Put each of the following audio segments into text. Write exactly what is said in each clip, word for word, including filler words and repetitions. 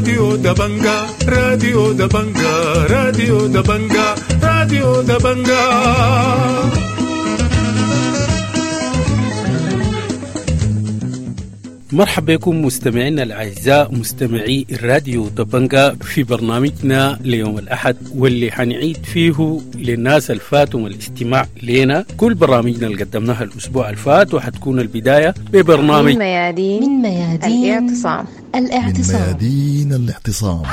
راديو دبنجا، راديو دبنجا، راديو دبنجا، راديو دبنجا. مرحبا بكم مستمعينا الأعزاء مستمعي الراديو دبنجا في برنامجنا ليوم الأحد، واللي حنعيد فيه للناس الفاتهم الاستماع لنا كل برامجنا اللي قدمناها الأسبوع الفات، وحتكون البداية ببرنامج من ميادين من ميادين الاعتصام الاعتصام من ميادين الاعتصام.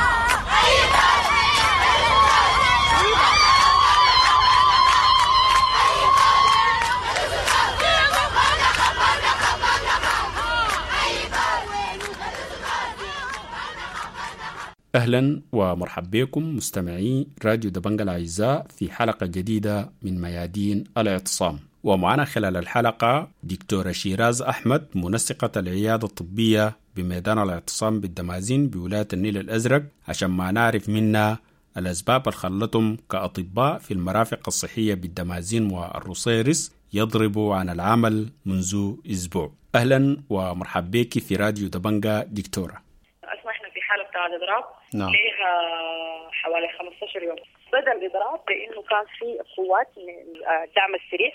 أهلا ومرحبا بكم مستمعي راديو دبنجا الأعزاء في حلقة جديدة من ميادين الاعتصام، ومعنا خلال الحلقة دكتورة شيراز أحمد منسقة العيادة الطبية بميدان الاعتصام بالدمازين بولاية النيل الأزرق، عشان ما نعرف منها الأسباب اللي خلتهم كأطباء في المرافق الصحية بالدمازين والرصيرس يضربوا عن العمل منذ أسبوع. أهلا ومرحبا بك في راديو دبنجا دكتورة. بتاع الإضراب نعم. ليها حوالي خمسة عشر يوم. بدأ الإضراب بأنه كان في قوات من الدعم السريع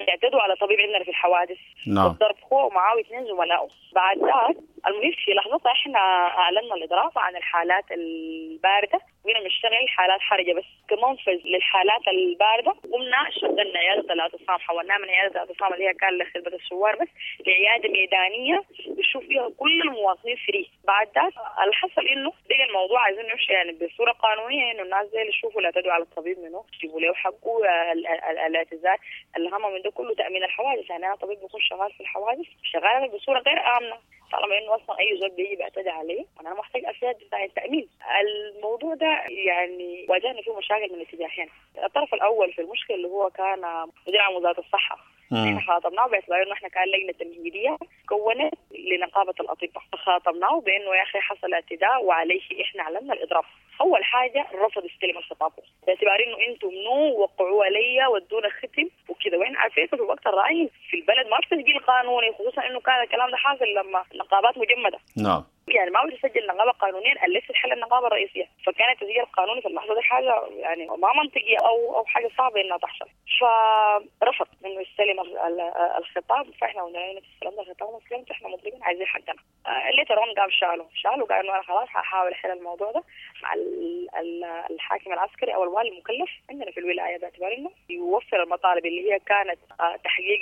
اعتدوا على طبيب عندنا في الحوادث. نعم. والضرب هو ومعاه اثنين زملائه. بعد ذاك المهم في لحظتها احنا اعلنا الاضراب عن الحالات البارده، بقينا بنشتغل حالات حرجه بس كمنفذ للحالات البارده. قمنا شغلنا عيادة الاعتصام، حولناها من عيادة الاعتصام اللي هي كان لخدمة الثوار بس لعياده ميدانية بنشوف فيها كل المواطنين free. بعد ذاك اللي حصل انه بقى الموضوع عايزين نمشي يعني بصورة قانونية، انه الناس زي اللي يشوفوا اللي اعتدوا على الطبيب منه يجيبوا له حقه، الاعتذار. الاهم من ده كله تامين الحوادث، يعني انا طبيب بكون شغال في الحوادث شغال بصورة غير امنه، طالما انه اصلا اي زول بيجي بيعتدي عليه انا محتاج اسياد بتاع التامين. الموضوع ده يعني واجهنا فيه مشاكل من اتجاهين. الطرف الاول في المشكلة اللي هو كان مدير عام وزارة الصحة، احنا خاطبناه باعتبار انه احنا كان لجنة تمهيديه كونت لنقابه الاطباء، خاطبناه بانه يا اخي حصل اعتداء وعليه احنا اعلنا الاضراب. اول حاجة رفض يستلم الخطاب باعتبار انه انتم منو وقعوا عليا ودونا ختم وكذا، واحنا عارفين في الوقت الراهن في البلد ما في تسجيل قانوني، خصوصا انه كان الكلام ده حاصل لما نقابات مجمده. نعم. يعني ما بتسجل نقابة قانونيا الا تحل النقابة الرئيسية، فكان التسجيل القانوني في اللحظة دي حاجة يعني ما منطقية او او حاجة صعبة انها تحصل. فرفض انه يستلم الخطاب، فاحنا قلنا له استلمنا الخطاب وما استلمت، احنا مطلوبين عايزين حقنا. later on قام شالوا شالوا قال انه انا خلاص هحاول احل الموضوع ده مع الحاكم العسكري او الوالي المكلف عندنا في الولاية، باعتبار انه يوفر المطالب اللي هي كانت تحقيق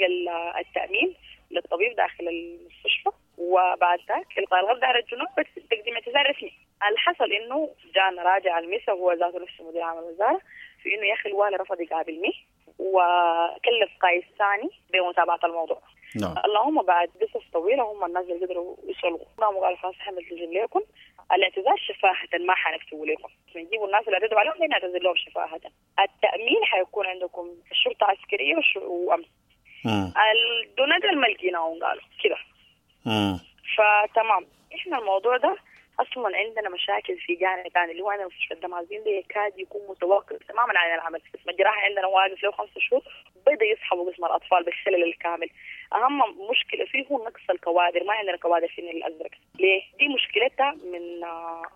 التامين للطبيب داخل المستشفى، وبعد ذاك القاء القبض على الجنوب تقديم اعتذار رسمي. اللي حصل انه جانا راجع المسا هو ذاته نفسه مدير عام الوزارة في انه يا اخي الوالي رفض يقابلني وكلف قائد ثاني بمتابعة الموضوع. نعم. اللهم بعد قصص طويلة هم الناس اللي قدروا يصلوا، قاموا قالوا خلاص احنا بنلتزم لكم الاعتذار شفاهه، ما حنكتبوا لكم، بنجيبوا الناس اللي اعتدوا عليهم نعتذر لهم شفاهه. التامين حيكون عندكم الشرطة العسكرية وامن. الدونات الملكينا قالوا كده. فتمام احنا الموضوع ده اصلا عندنا مشاكل في جانب ثاني اللي هو عندنا مستشفى الدمازين ده يكاد يكون متوقف تماما عن العمل. قسم الجراحة عندنا واقف له خمسة شهور، بدا يسحبوا قسم الاطفال بالشلل الكامل. اهم مشكلة فيه هو نقص الكوادر، ما عندنا كوادر في النيل الازرق. ليه؟ دي مشكلتها من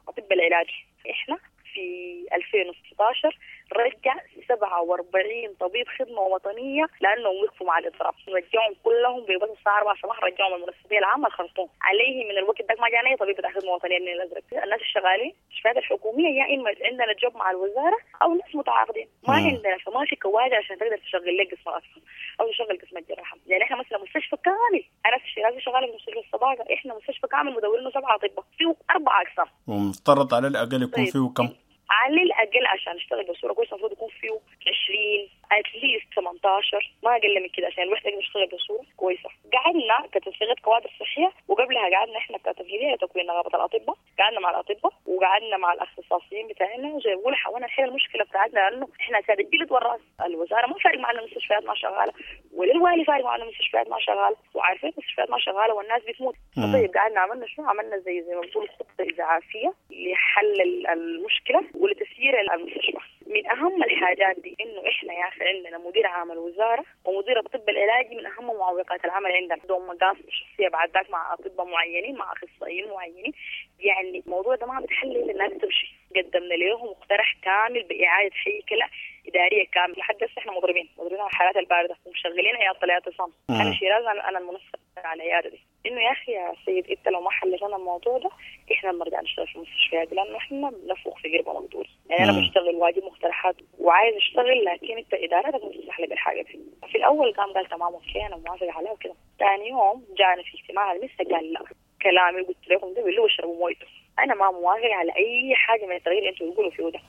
اطباء العلاج. احنا في ألفين وستة عشر رجع سبعة وأربعين طبيب خدمة وطنية لأنهم وقفوا مع الإضراب، رجعهم كلهم ببس الساعة أربعة الصباح، رجعهم المنسقية العامة الخرطوم. عليه من الوقت ده ما جانا أي طبيب بتاع خدمة وطنية من الأزرق. الناس الشغالين المستشفيات الحكومية يا إما عندنا جوب مع الوزارة أو ناس متعاقدين، ما عندنا، فما في كوادر عشان تقدر تشغل لك قسم الأطفال أو تشغل قسم الجراحة. يعني إحنا مثلا مستشفى كامل، أنا في شيراز شغالة في مستشفى الصداقة، إحنا مستشفى كامل مدورينه سبعة أطباء فيه أربع أقسام، ومفترض على الأقل يكون فيه كم؟ على الأقل عشان نشتغل بصورة كويسة المفروض يكون فيه عشرين at least ثمانية عشر، ما أقل من كده عشان الوحدة تقدر تشتغل بصورة كويسة. قعدنا كتنسيقية كوادر صحية، وقبلها قعدنا إحنا كتمهيدية لتكوين نقابة الأطباء، قعدنا مع الأطباء وقعدنا مع الاختصاصيين بتاعنا وزي ما بقول حاولنا نحل المشكلة بتاعتنا، لأنه إحنا ساد الجلد والرأس. الوزارة ما فارق معنا المستشفيات ما شغالة، ولا الوالي فارق معنا المستشفيات ما شغالة، وعارفين المستشفيات ما شغالة والناس بتموت. طيب قعدنا عملنا شنو؟ عملنا زي زي ما بقول خطة إسعافية لحل المشكلة ولتسيير المستشفى. من اهم الحاجات دي انه احنا يا اخي عندنا مدير عام الوزارة ومدير الطب العلاجي من اهم معوقات العمل عندنا، عندهم مقاصد شخصية بعد ذاك مع اطباء معينين مع اخصائيين معينين، يعني الموضوع ده ما بتحل الا الناس تمشي. قدمنا لهم مقترح كامل باعادة هيكله ادارية كاملة، لحد هسه احنا مضربين مضربين على الحالات البارده ومشغلين عيادة الاعتصام. انا شيراز انا المنسق على العيادة دي، انه يا اخي يا سيد انت لو ما حليت لنا الموضوع ده احنا بنرجع نشتغل في المستشفيات، لانه احنا بنفوخ في قربه مقدور. يعني انا بشتغل واجيب مقترحات وعايز اشتغل، لكن انت ادارتك ما بتسمح لي بالحاجة دي. في الاول قام قال تمام okay انا موافق عليها وكده، ثاني يوم جانا في اجتماع المسا قال لا كلامي قلت لكم ده بالله واشربوا مويته، انا ما موافق على اي حاجة من التغيير اللي انتوا بتقولوا فيه ده.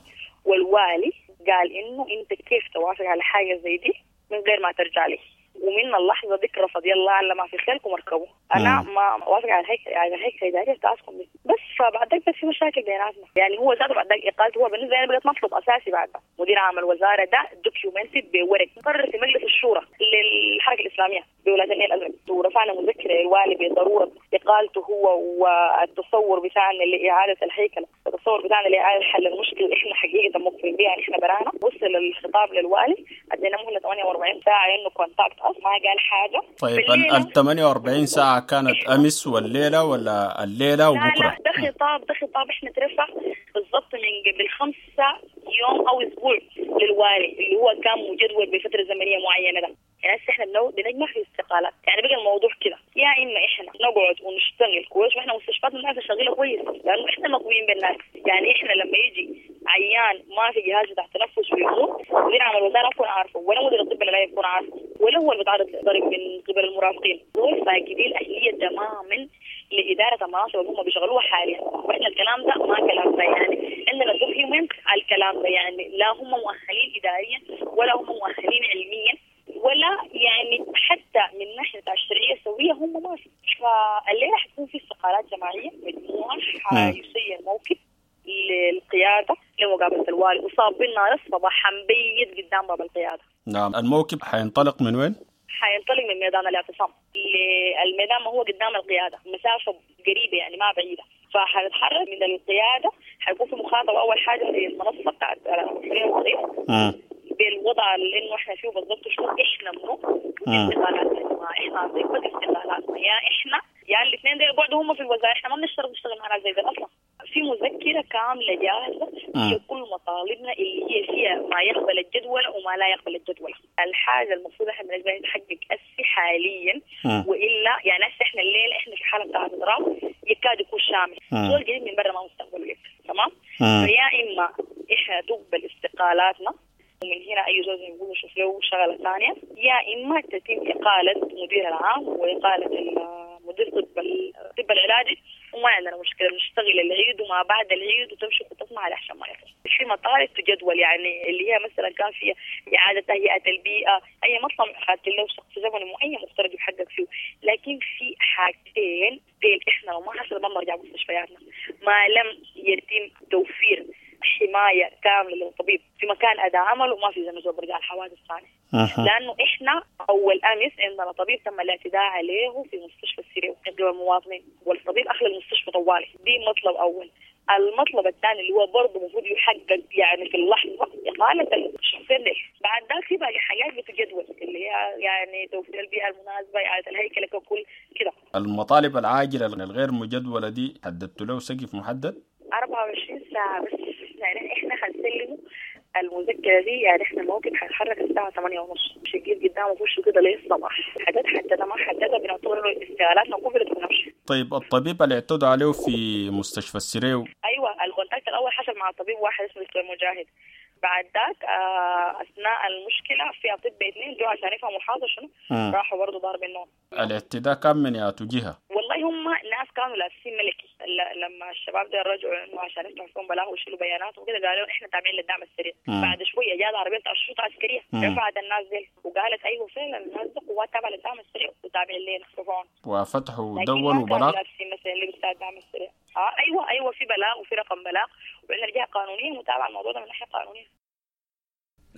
والوالي قال انه انت كيف توافق على حاجة زي دي من غير ما ترجع لي، ومن اللحظة دي رفض يلا على ما في خيلكم اركبوا، انا ما وافق على الهيكل على الهيكل الادارية بتاعتكم دي بس. فبعد ذاك بس في مشاكل بيناتنا، يعني هو ذاته بعد ذاك اقالته هو بالنسبة لي بقت مطلب اساسي. بعد مدير عام الوزارة ده documented بورق قرر في مجلس الشورى للحركة الاسلامية بولاية النيل الازرق، ورفعنا مذكره للوالي بضرورة اقالته هو والتصور بتاعنا لاعادة الهيكله، التصور بتاعنا لاعادة حل المشكلة اللي احنا حقيقة مقفلين بيها احنا برانا. وصل الخطاب للوالي، ادينا مهله ثمانية وأربعين ساعة انه contact us، ما قال حاجة. طيب ال ثمانية وأربعين ساعة كانت امس والليلة ولا الليلة وبكره؟ لا لا ده خطاب ده خطاب احنا ترفع بالضبط من قبل خمسة يوم او اسبوع للوالي اللي هو كان مجدول بفترة زمنية معينة ده. يعني هسه احنا بنجمع في استقالات، يعني بقى الموضوع كده يا اما احنا نقعد ونشتغل كويس، واحنا مستشفياتنا الناس شغالة كويس لانه احنا مقويين بالناس. يعني احنا لما يجي عيان ما في جهاز بتاع تنفس ويموت، مدير عام الوزارة يكون عارفه ولا مدير الطب العلاجي يكون عارفه ولا هو اللي بيتعرض لضرب من قبل المرافقين. دول فاقدين الاهلية تماما لادارة المناصب اللي هم بيشغلوها حاليا، واحنا الكلام ده ما كلام ده، يعني عندنا document على الكلام ده، يعني لا هم مؤهلين اداريا ولا هم مؤهلين علميا ولا يعني حتى من ناحية الشرعية السوية هم ما في. فالليله حتكون في استقالات جماعية مجموعة حيسير موكب للقياده لمقابلة الوالي، وصابين نار الصباح حنبيت قدام باب القيادة. نعم، الموكب حينطلق من وين؟ حينطلق من ميدان الاعتصام، الميدان ما هو قدام القيادة، مسافة قريبه يعني ما بعيدة، فحنتحرك من القيادة. حيكون في مخاطبه اول حاجة في المنصة بتاعت الحرية والتغيير بالوضع اللي انه احنا فيه بالضبط، شنو احنا منو استقالاتنا، احنا عطيبة استقالاتنا، يا احنا يا الاثنين دول يقعدوا هم في الوزارة، احنا ما بنشتغل نشتغل مع ناس زي ده اصلا. في مذكره كاملة جاهزة هي كل مطالبنا اللي هي فيها ما يقبل الجدول وما لا يقبل الجدول. الحاجة المفروض احنا بالنسبة لنا نحقق اسي حاليا، والا يعني هسه احنا الليلة احنا في حاله بتاعت اضراب يكاد يكون شامل، زول جديد من برا ما مستقبله لك تمام. فيا اما احنا تقبل استقالاتنا ومن هنا أي زول يقول شوف له شغلة ثانية، يا إما تتم إقالة مدير العام وإقالة مدير طب الطب العلاجي، وما عندنا مشكلة نشتغل العيد وما بعد العيد وتمشي خطتنا على عشان ما يخلص. في مطالب تجدول، يعني اللي هي مثلا كان فيها إعادة تهيئة البيئة، أي مطلب خدت له شخص زمني معين مفترض يحقق فيه، لكن في حاجتين ديل إحنا لو ما حصل ما بنرجع مستشفياتنا ما لم يتم توفير حماية كاملة للطبيب في مكان أداء عمله، وما في زي برجع الحوادث ثانية. لأنه إحنا أول أمس عندنا طبيب تم الاعتداء عليه في مستشفى السرير من قبل المواطنين، والطبيب أخلى المستشفى طوالي. دي مطلب أول. المطلب الثاني اللي هو برضه المفروض يحقق يعني في اللحظة إقالة الشخصين دي. بعد ذاك في باقي حاجات بتجدول اللي هي يعني توفير البيئة المناسبة، إعادة الهيكلة ككل كده. المطالب العاجلة الغير مجدولة دي حددت له سقف محدد؟ أربعة وعشرين ساعة بس، يعني احنا حنسلمه المذكرة دي، يعني احنا الموقف حيتحرك الساعة ثمانية ونص، مش يجيب قدامه وشه كده ليه الصباح، حدد حددها ما حددها بنعتبر انه استقالاتنا قبلت ونمشي. طيب الطبيب اللي اعتدوا عليه في مستشفى السريو؟ ايوه، ال contact الاول حصل مع طبيب واحد اسمه دكتور مجاهد، بعد ذاك اثناء المشكلة في اطباء اثنين جو عشان يفهموا الحاصل شنو، راحوا برضه ضارب النوم. الاعتداء كان من ياتو جهة؟ والله هم ناس كانوا لابسين ملكي، لما الشباب ده رجعوا انه عشان يفتحوا فيهم بلاغ ويشيلوا بيانات وكده، قالوا احنا تابعين للدعم السريع. مم. بعد شوية جات عربية بتاع الشرطة العسكرية رفعت الناس دي وقالت ايوه فعلا الناس دي قوات تابعه للدعم السريع وتابعين لنا رفعون وفتحوا دونوا بلاغ. لابسين مثلا لبس بتاع الدعم السريع. اه ايوه ايوه في بلاغ وفي رقم بلاغ، وعندنا جهة قانونية متابعه الموضوع ده من ناحية قانونية.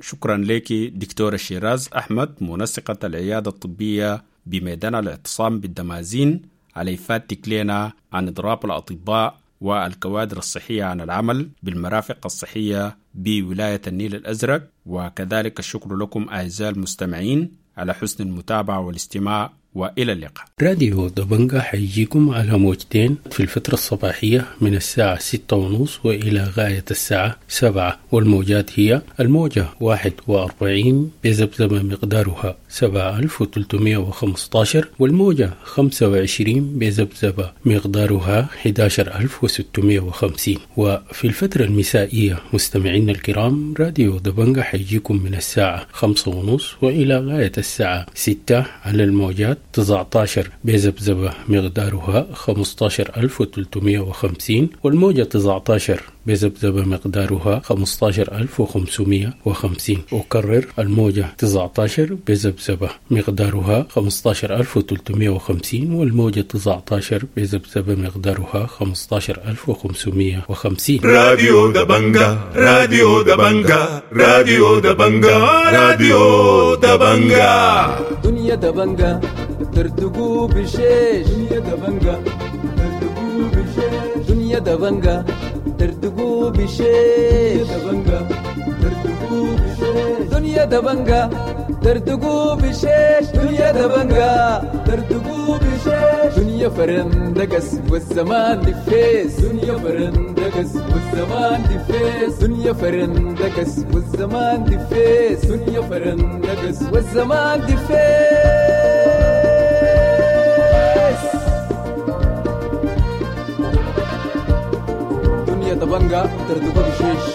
شكرا لك دكتورة شيراز أحمد، منسقة العيادة الطبية بميدان الاعتصام بالدمازين، على إفادتك لنا عن إضراب الأطباء والكوادر الصحية عن العمل بالمرافق الصحية بولاية النيل الأزرق. وكذلك الشكر لكم أعزائي المستمعين على حسن المتابعة والاستماع، وإلى اللقاء. راديو دبنجا حيجيكم على موجتين في الفترة الصباحية من الساعة ستة ونص وإلى غاية الساعة سبعة، والموجات هي الموجة واحد وأربعين بذبذبة مقدارها سبعة ألف وثلاثمائة وخمسة عشر، والموجة خمسة وعشرين بذبذبة مقدارها أحد عشر ألف وستمائة وخمسين. وفي الفترة المسائية مستمعينا الكرام، راديو دبنجا حيجيكم من الساعة خمسة ونص وإلى غاية الساعة ستة على الموجات تسعة عشر بذبذبة مقدارها خمسة عشر ألف وثلاثمائة وخمسين، والموجة تسعة عشر بذبذبة مقدارها خمسة عشر ألف وخمسمائة وخمسين. أكرر، الموجة تسعة عشر بذبذبة مقدارها خمسة عشر ألف وثلاثمائة وخمسين، والموجة تسعة عشر بذبذبة مقدارها خمسة عشر ألف وخمسمائة وخمسين. راديو دبنجا، راديو دبنجا، راديو دبنجا، راديو دبنجا. دنيا دبنجا تردقوا بشيش، دنيا دبنجا تردقوا بشيش، دنيا دبنجا تردقوا بشيش، دبنجا تردقوا بشيش، دنيا دبنجا تردقوا بشيش، دنيا دبنجا تردقوا بشيش، دنيا فرندقس والزمان دفيس، دنيا فرندقس والزمان دفيس، دنيا فرندقس والزمان دفيس، دنيا فرندقس والزمان دفيس، دنيا دبنجا تردقوا بشيش،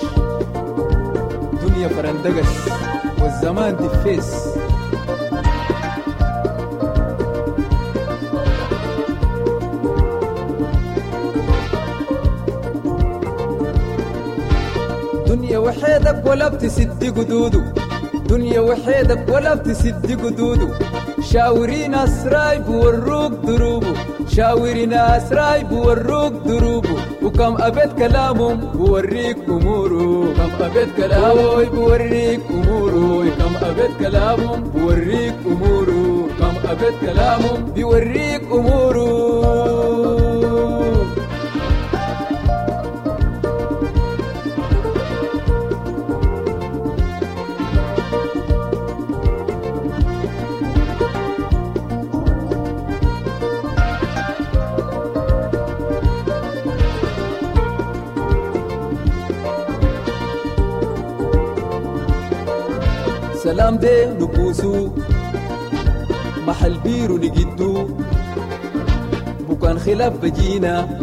دنيا فرندقس والزمان دفيس. دنيا وحيدك ولا بتسد قدوده، دنيا وحيدك ولا بتسد قدوده، شاوري ناس راي بوروك دروبه، شاوري ناس راي بوروك دروبه، وكم أبيت كلامهم بوريك أموره، كم أبيت كلامه بوريك أموره، كم أبيت كلامهم بوريك أموره، كم أبيت كلامهم بيوريك أموره. سلام دي نكوسو محل بيرو نجدو، بكان خلاف بجينا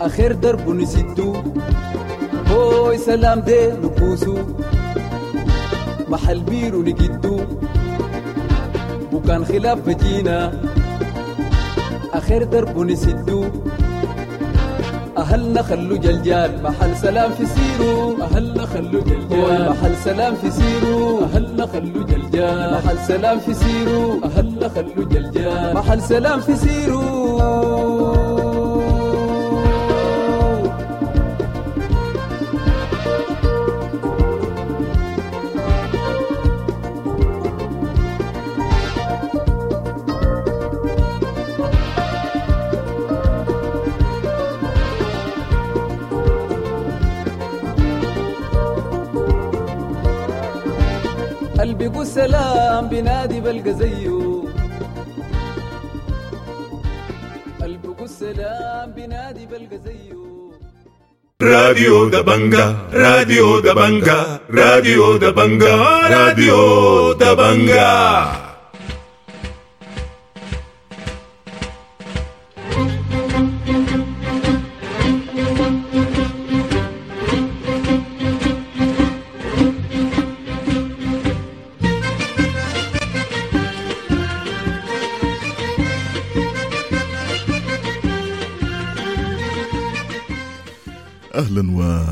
آخر درب نسدو. هوي سلام دي نكوسو محل بيرو نجدو، بكان خلاف بجينا آخر درب نسدو. أهلنا خلو جلجال محل سلام في سيرو، أهلنا خلو جلجال محل سلام في سيرو، أهلنا خلو جلجال محل سلام في سيرو، أهلنا خلو جلجال محل سلام في سيرو. قلبي قول سلام بنادي بلقى زيه، قلبي قول سلام بنادي بلقى زيه. راديو دبنجا، راديو دبنجا، راديو دبنجا، راديو دبنجا. اهلا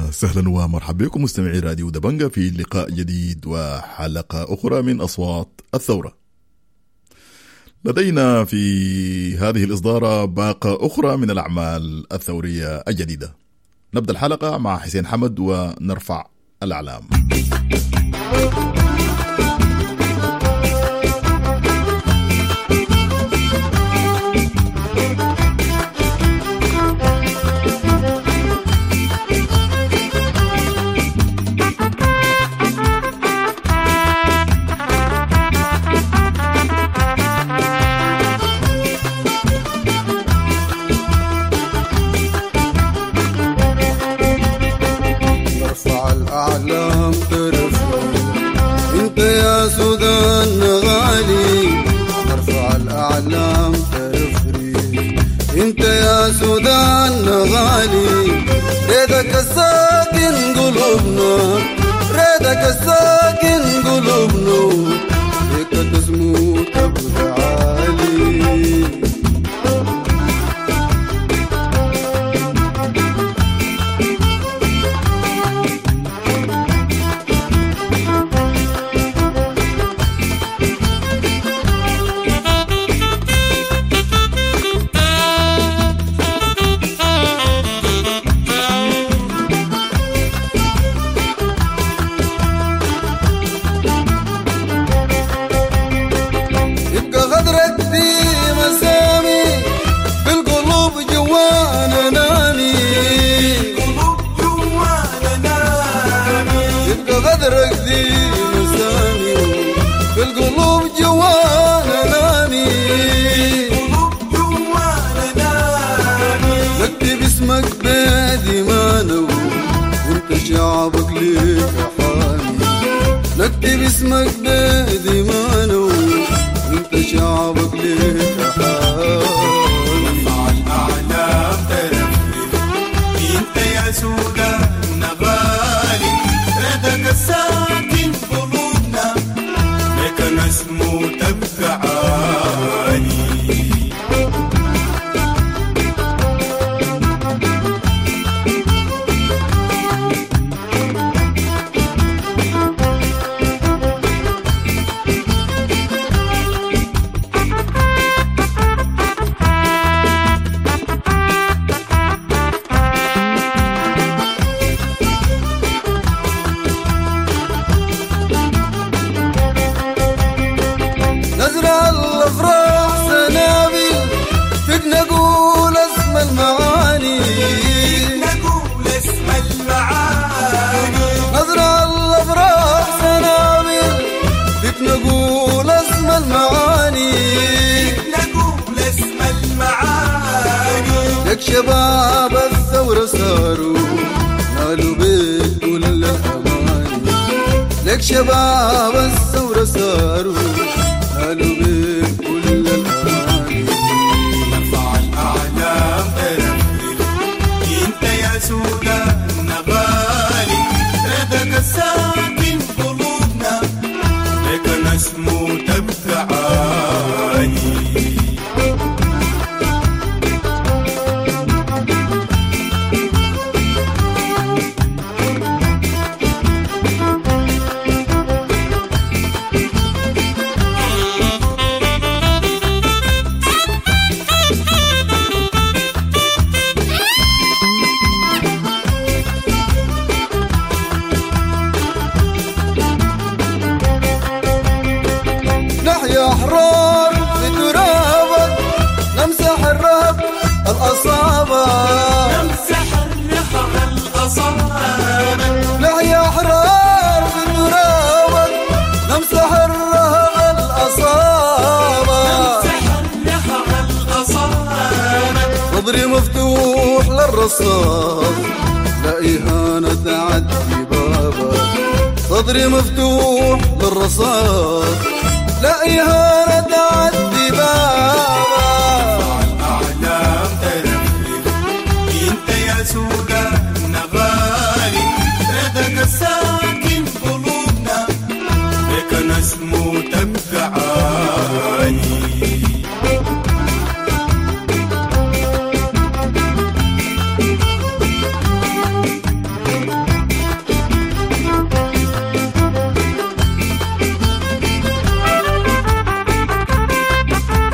وسهلا ومرحبا بكم مستمعي راديو دبنجا في لقاء جديد وحلقه اخرى من اصوات الثوره. لدينا في هذه الاصداره باقه اخرى من الاعمال الثوريه الجديده. نبدا الحلقه مع حسين حمد ونرفع الاعلام. انت يا سودان غالي، ريدك الساكن قلوبنا، ريدك الساكن قلوبنا، فيك تسمو تبقى عالي. شعبك ليك حامي، نكتب اسمك بدمانا وانت شعبك ليك حامي. مع الأعلام ترفرف انت يا سودان غالي، ردك الساكن قلوبنا لك نسمو تبقى عالي. شباب الثورة صاروا نالوا بك كل الأماني، لك شباب الثورة صاروا نالوا بك كل الأماني. نرفع الأعلام ترفرف انت يا سودان غالي، ردك الساكن قلوبنا لك نسمو تبقى عالي. صدري مفتوح للرصاص لا إهانة تعدي بابا، صدري مفتوح للرصاص لا إهانة تعدي بابا. الأعلام ترفرف انت يا سودان غالي، ردك الساكن قلوبنا لك نسمو تبقى عالي. Thank you.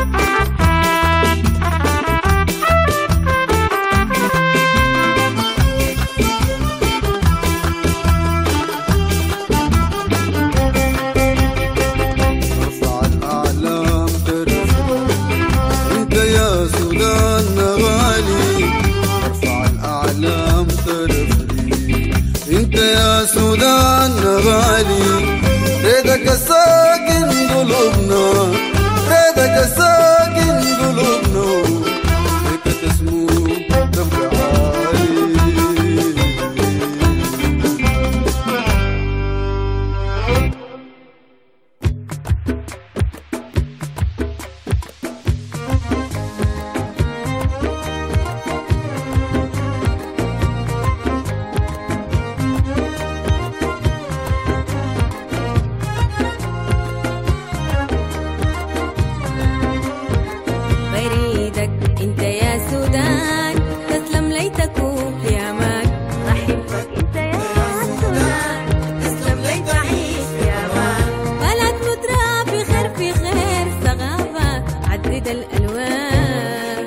متعدد الألوان.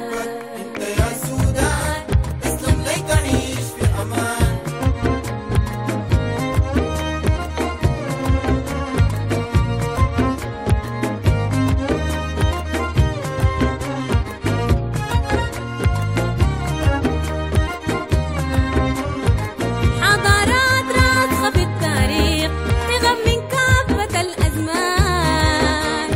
انت يا سودان تسلم لي تعيش في امان. حضارات راسخة في التاريخ تغم من كافة الأزمان.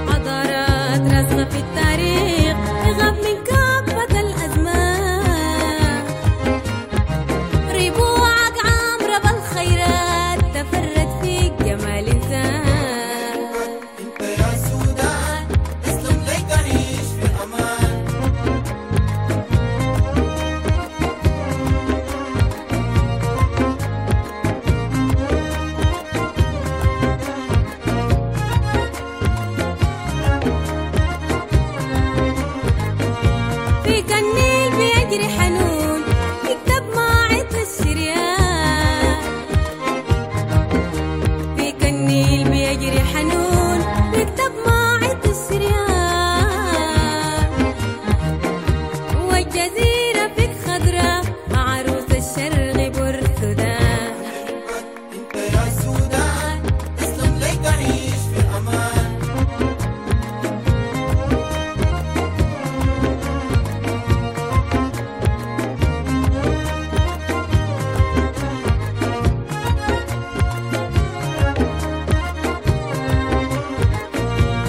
حضارات راسخة في التاريخ تغم من كافة الأزمان. ربوعك عامرة بالخيرات تفرد فيك جمال إنسان. انت يا سودان تسلم لي تعيش في امان. فيك النيل بيجري حنون يكتب ماعط الشريان. فيك النيل بيجري حنون يكتب ماعط الشريان. والجزيرة فيك خضرة عروس الشرق بورسودان. انت يا سودان تسلم لي تعيش في امان.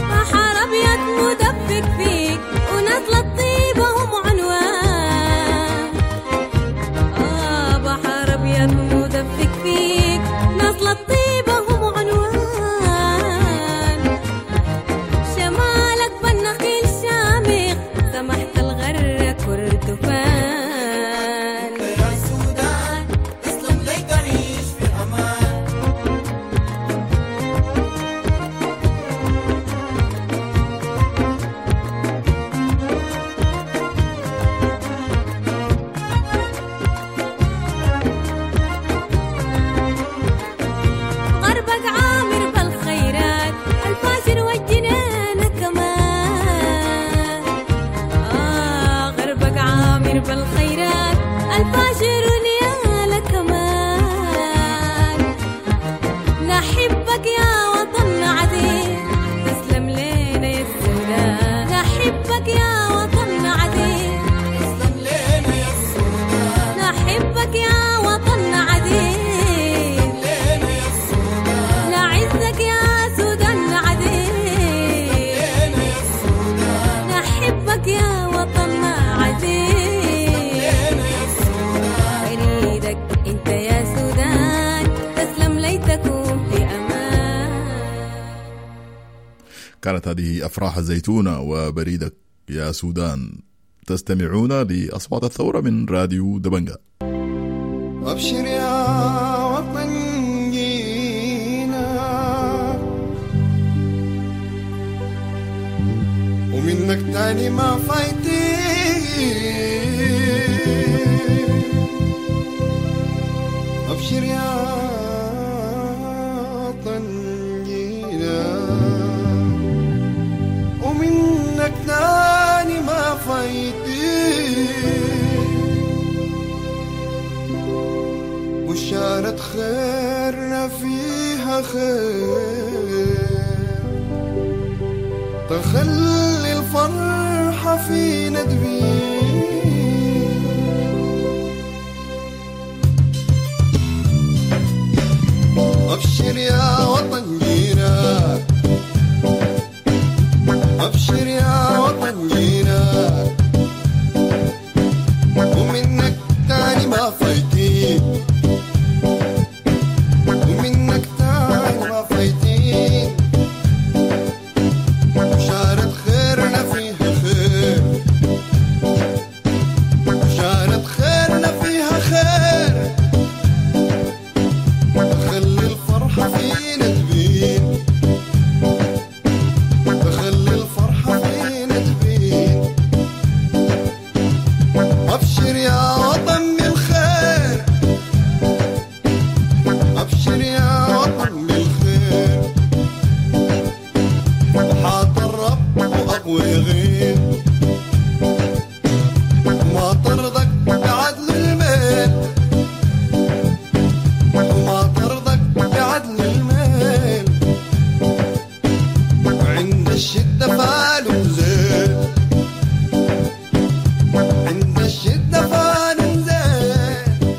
بحر أبيض مدفق فيك ونازلة الطيبة هم عنوان. آه بحر أبيض مدفق فيك نازلة الطيبة هم عنوان. شمالك بالنخيل شامخ سمحت الغرة كردفان. انت يا سودان تسلم لي تعيش في امان. غربك عامر بالخيرات الفاجر والجنان كمان. آه غربك عامر بالخيرات الفاجر ونيالة كمان. نحبك يا وطن عزيز تسلم لنا يا السودان. نحبك يا وطن عزيز تسلم لنا يا السودان. نحبك يا وطن عزيز لنا يا السودان. نعزك يا سودان عزيز لنا يا السودان. نحبك يا وطننا عزيز. لنا يا السودان. بريدك انت يا سودان تسلم لي تكون في امان. كانت هذه أفراح الزيتونة وبريدك يا سودان. تستمعون لأصوات الثورة من راديو دبنجا. أبشر يا وطن جينا ومنك تاني ما فايتين. أبشر يا وطن جينا ومنك تاني ما فايتين. بشارة خيرنا فيها خير تخلي الفرحة فينا تبين. أبشر يا وطن جينا، أبشر يا وطن جينا ومنك تاني ما فايتين. ومنك تاني ما فايتين. بشارة خيرنا فيها خير، بشارة خيرنا فيها خير تخلي الفرحة فينا تبين. تخلي الفرحة فينا تبين. ويغيب ما طردك بعدل الميل ما طردك بعدل الميل عند الشدة فالو زين عند الشدة فالو زين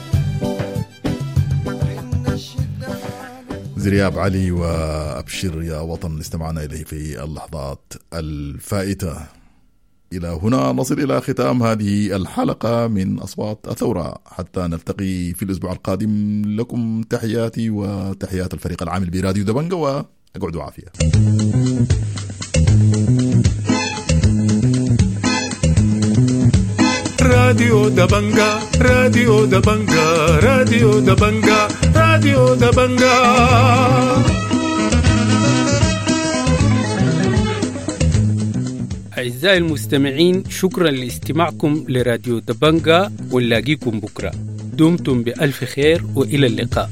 عند الشدة فالو زرياب علي وأبشر يا وطن استمعنا إليه في اللحظات الفائتة. إلى هنا نصل إلى ختام هذه الحلقة من أصوات الثورة، حتى نلتقي في الأسبوع القادم. لكم تحياتي وتحيات الفريق العامل براديو دبنجة، وأقعدوا عافية. راديو دبنجا، راديو دبنجا، راديو دبنجا، راديو دبنجا. أعزائي المستمعين، شكرا لاستماعكم لراديو دبنجا، ونلاقيكم بكرة. دمتم بألف خير وإلى اللقاء.